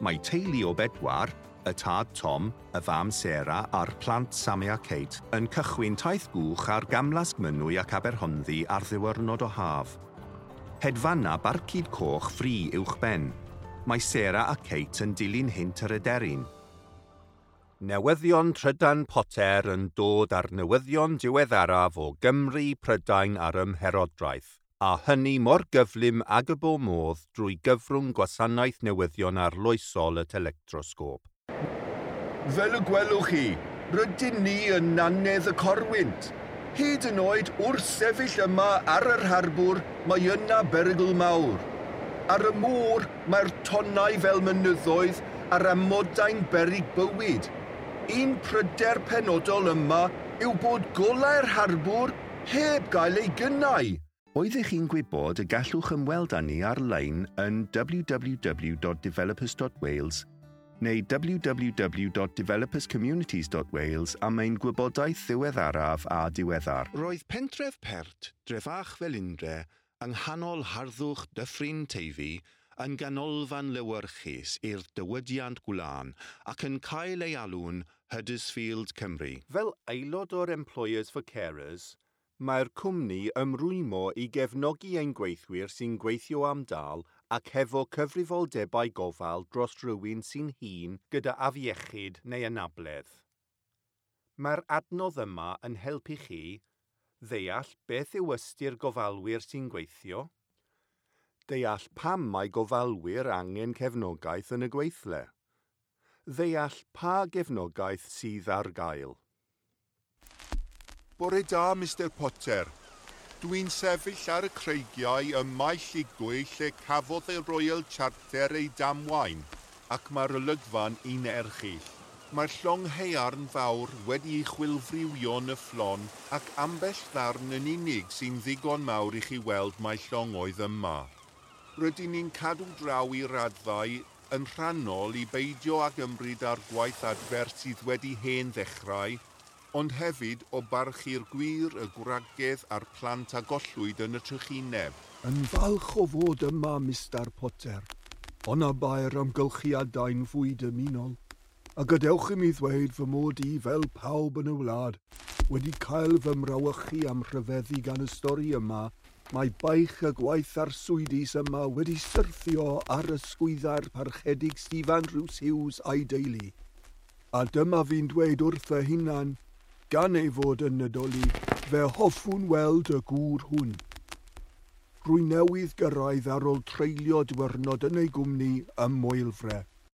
Mae teulu o bedwar, y tad Tom, y fam Sarah a'r plant Sammy a Kate, yn cychwyn taith gwch ar Gamlas Mynwy ac Aberhonddu ar ddiwrnod o haf. Hedfana barcud coch fri uwchben. Mae Sarah a Kate yn dilyn hynt yr aderyn. Newyddion Trydan Potter yn dod â'r newyddion diweddaraf o Gymru, Prydain a'r Ymherodraeth, a hynny mor gyflym ag y bo modd drwy gyfrwng gwasanaeth newyddion arloesol y telectrosgôp. Fel y gwelwch chi, rydyn ni yn nannedd y corwynt. Hyd yn oed wrth sefyll yma ar yr harbwr, mae yna berygl mawr. Ar y môr, mae'r tonnau fel mynyddoedd a'r amodau'n beryg bywyd. Un pryder penodol yma yw bod golau'r harbwr heb gael ei gynnau. Oeddech chi'n gwybod y gallwch ymweld â ni ar-lein yn www.developers.wales neu www.developerscommunities.wales am ein gwybodaeth ddiweddaraf a diweddar. Roedd pentref Pert, Drefach Felindre, yng nghanol harddwch Dyffryn Teifi, yn ganolfan lewyrchus i'r diwydiant gwlân ac yn cael ei alw'n Huddersfield Cymru. Fel aelod o'r Employers for Carers, mae'r cwmni ymrwymo i gefnogi ein gweithwyr sy'n gweithio am dâl ac hefo cyfrifoldebau gofal dros rywun sy'n hŷn gyda afiechyd neu anabledd. Mae'r adnodd yma yn helpu chi ddeall beth yw ystyr gofalwyr sy'n gweithio, deall pam mae gofalwyr angen cefnogaeth yn y gweithle, ddeall pa gefnogaeth sydd ar gael. Bore da, Mr Potter. Dwi'n sefyll ar y creigiau ym Mae Llugwy lle cafodd y Royal Charter ei damwain, ac mae'r olygfa'n un erchyll. Mae'r llong haearn fawr wedi'i chwilfriwio yn y fflon ac ambell ddarn yn unig sy'n ddigon mawr i chi weld mai llong oedd yma. Rydyn ni'n cadw draw i raddau yn rhannol i beidio ag ymryd â'r gwaith adfer sydd wedi hen ddechrau, ond hefyd o barchu'r gwŷr, y gwragedd a'r plant a gollwyd yn y trychineb. Yn falch o fod yma, Mr Potter, ond na bai'r amgylchiadau'n fwy dymunol, a gadewch i mi ddweud fy mod i, fel pawb yn y wlad, wedi cael fy mrawychu am rhyfeddu gan y stori yma, mae baich y gwaith arswydus yma wedi syrthio ar ysgwyddau'r parchedig Stephen Rhys Hughes a'i deulu. A dyma fi'n dweud wrth fy hunan, gan ei fod yn Nadolig, fe hoffwn weld y gŵr hwn. Rwy newydd gyrraedd ar ôl treulio diwrnod yn ei gwmni ym Moelfre.